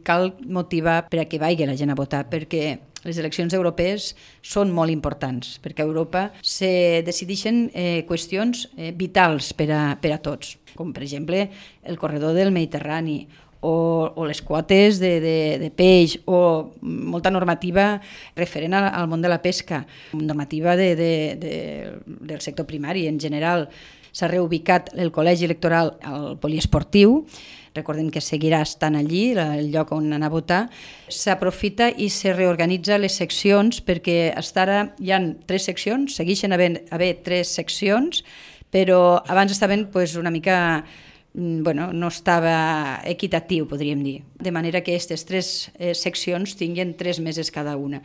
Cal motivar per a que vagi la gent a votar, perquè les eleccions europees són molt importants, perquè a Europa se decideixen qüestions vitals per a tots, com per exemple el corredor del Mediterrani, o les quotes de peix, o molta normativa referent al món de la pesca, normativa del sector primari en general. S'ha reubicat el col·legi electoral al poliesportiu, recordem que seguirà estant allí, el lloc on anar a votar. S'aprofita i se reorganitza les seccions, perquè fins ara hi ha 3 seccions, segueixen haver 3 seccions, però abans estaven una mica... no estava equitatiu, podríem dir. De manera que aquestes 3 seccions tinguin 3 meses cada una.